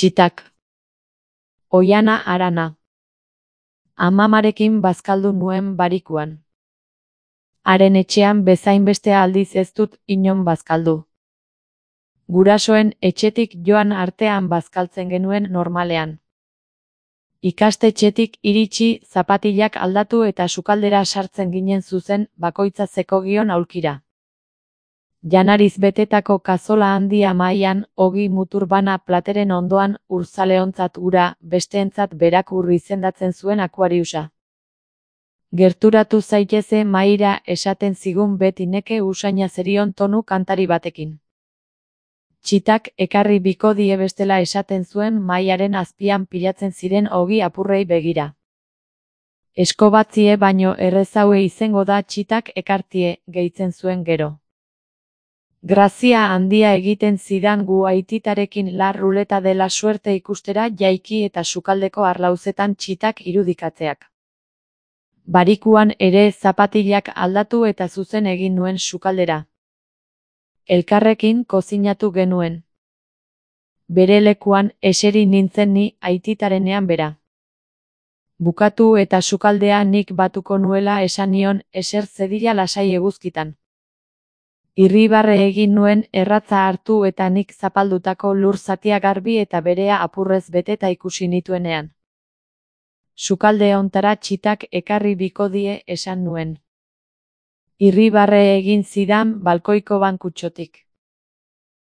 Txitak. Oiana Arana. Amamarekin bazkaldu nuen barikuan. Haren etxean bezainbeste aldiz ez dut inon bazkaldu. Gurasoen etxetik joan artean bazkaltzen genuen normalean. Ikastetxetik iritsi, zapatilak aldatu eta sukaldera sartzen ginen zuzen, bakoitza zekogion aulkira. Janariz betetako kazola handia mahaian, ogi mutur bana plateren ondoan, urzaleontzat ura, besteentzat berak izendatzen zuen akuariusa. Gerturatu zaiteze mahaira esaten zigun beti neke usaina zerion tonu kantari batekin. Txitak ekarri biko die bestela esaten zuen mahaiaren azpian pilatzen ziren ogi apurrei begira. Eskobatzie baino errezaue izango da txitak ekartie, gehitzen zuen gero. Grazia handia egiten zidan gu aititarekin la ruleta dela suerte ikustera jaiki eta sukaldeko arlauzetan txitak irudikatzeak. Barikuan ere zapatilak aldatu eta zuzen egin nuen sukaldera. Elkarrekin kozinatu genuen. Bere lekuan eseri nintzen ni aititarenean bera. Bukatu eta sukaldea nik batuko nuela esan nion eser zedila lasai eguzkitan. Irribarre egin nuen erratza hartu eta nik zapaldutako lur zatia garbi eta berea apurrez beteta ikusi nituenean. Sukalde hontara txitak ekarri biko die esan nuen. Irribarre egin zidan balkoiko bankutxotik.